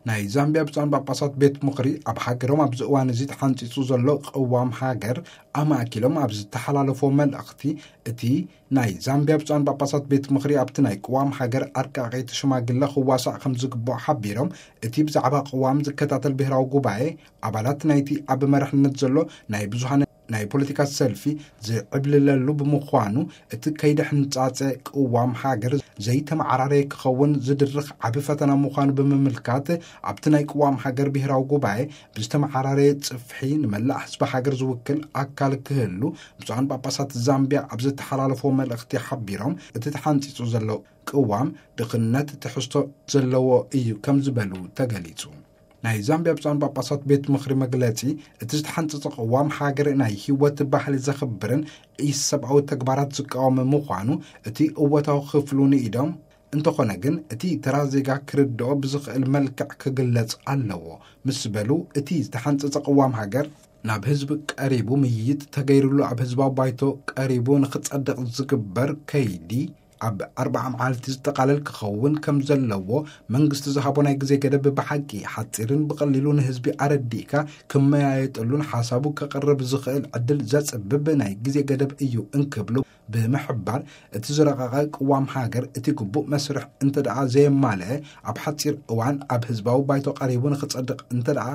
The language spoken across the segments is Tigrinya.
ናይ ዛምቢያ ብፁዓን ጳጳሳት ቤት ምኽሪ ኣብ ሃገሮም ኣብዚ እዋን እዚ ተሓንጺጹ ዘሎ ቅዋም ሃገር ኣማእኪሎም ኣብ ዝተሓላለፎ መልእኽቲ፣ እቲ ናይ ዛምቢያ ብፁዓን ጳጳሳት ቤት ምኽሪ ኣብቲ ናይ ቅዋም ሃገር ኣርቃቒ እቲ ሽማግለ ክዋሳእ ከም ዝግብኦ ሓቢሮም፣ እቲ ብዛዕባ ቅዋም ዝከታተል ብሔራዊ ጉባኤ ኣባላት ናይቲ ኣብ መራሕነት ዘሎ ናይ ብዙሃን ናይ ፖለቲካ ሰልፊ ዝዕብልለሉ ብምዃኑ፣ እቲ ከይዲ ሕንጻጸ ቅዋም ሃገር ዘይተመዓራረየ ክኸውን ዝድርኽ ዓቢ ፈተና ምዃኑ ብምምልካት፣ ኣብቲ ናይ ቅዋም ሃገር ብሔራዊ ጉባኤ ብዝተመዓራረየ ጽፍሒ ንመላእ ህዝቢ ሃገር ዝውክል ኣካል ክህሉ ብፁዓን ጳጳሳት ዛምቢያ ኣብ ዝተሓላለፎ መልእኽቲ ሓቢሮም፣ እቲ ተሓንጺጹ ዘሎ ቅዋም ድኽነት ትሕዝቶ ዘለዎ እዩ ከም ዝበሉ ተገሊጹ። ናይ ዛምቢያ ብፁዓን ጳጳሳት ቤት ምኽሪ መግለጺ፣ እቲ ዝተሓንጸጸ ቅዋም ሃገር ናይ ህይወት ባህሊ ዘኽብርን ኢሰብኣዊ ተግባራት ዝቃወም ምዃኑ እቲ እወታዊ ክፍሉ ንኢዶም፣ እንተኾነ ግን እቲ ተራ ዜጋ ክርድኦ ብዝኽእል መልክዕ ክግለጽ ኣለዎ ምስ በሉ፣ እቲ ዝተሓንጸጸ ቅዋም ሃገር ናብ ህዝቢ ቀሪቡ ምይይጥ ተገይሩሉ ኣብ ህዝባዊ ባይቶ ቀሪቡ ንኽጸድቕ ዝግበር ከይዲ ኣብ ኣርብዓ መዓልቲ ዝጠቓለል ክኸውን ከም ዘለዎ መንግስቲ ዝሃቦ ናይ ግዜ ገደብ ብሓቂ ሓጺርን ብቐሊሉ ንህዝቢ ኣረዲእካ ክመያየጠሉን ሓሳቡ ከቕርብ ዝኽእል ዕድል ዘጽብብ ናይ ግዜ ገደብ እዩ እንክብሉ ብምሕባር፣ እቲ ዝረቐቐ ቅዋም ሃገር እቲ ግቡእ መስርሕ እንተ ደኣ ዘየማልአ ኣብ ሓጺር እዋን ኣብ ህዝባዊ ባይቶ ቀሪቡ ንኽጸድቕ እንተ ደኣ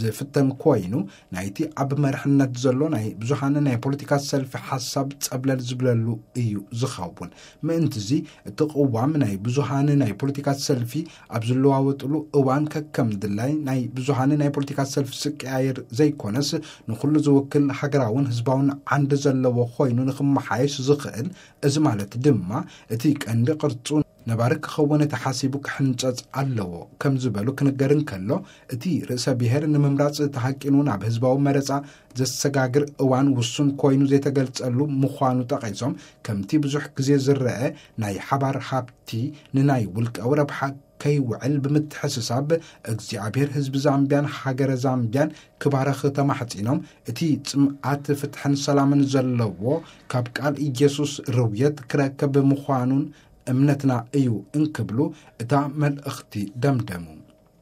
ዝፍተን ኮይኑ፣ ናይቲ ኣብ መርሕነት ዘሎ ናይ ብዙሃን ናይ ፖለቲካ ሰልፊ ሓሳብ ጸብለል ዝብለሉ እዩ ዝኸውን። ምእንትዚ እቲ ቅዋም ናይ ብዙሃን ናይ ፖለቲካ ሰልፊ ኣብ ዝለዋወጥሉ እዋን ከከም ድላይ ናይ ብዙሃን ናይ ፖለቲካ ሰልፊ ዝቀያየር ዘይኮነስ፣ ንኹሉ ዝውክል ሃገራውን ህዝባውን ዓንዲ ዘለዎ ኮይኑ ንኽመሓየሽ ዝኽእል፣ እዚ ማለት ድማ እቲ ቀንዲ ቅርጹ ነባሪ ክኸውን ተሓሲቡ ክሕንጸጽ ኣለዎ ከም ዝበሉ ክንገር እንከሎ፣ እቲ ርእሰ ብሔር ንምምራጽ ተሃቂኑ ናብ ህዝባዊ መረጻ ዘሰጋግር እዋን ውሱን ኮይኑ ዘይተገልጸሉ ምዃኑ ጠቒሶም፣ ከምቲ ብዙሕ ግዜ ዝረአ ናይ ሓባር ሃብቲ ንናይ ውልቃዊ ረብሓ ከይውዕል ብምትሕስሳብ፣ እግዚኣብሔር ህዝቢ ዛምቢያን ሃገረ ዛምቢያን ክባረኽ ተማሕጺኖም፣ እቲ ጽምኣት ፍትሕን ሰላምን ዘለዎ ካብ ቃል ኢየሱስ ርውየት ክረከብ ምዃኑን እምነትና እዩ እንክብሉ እታ መልእኽቲ ደምደሙ።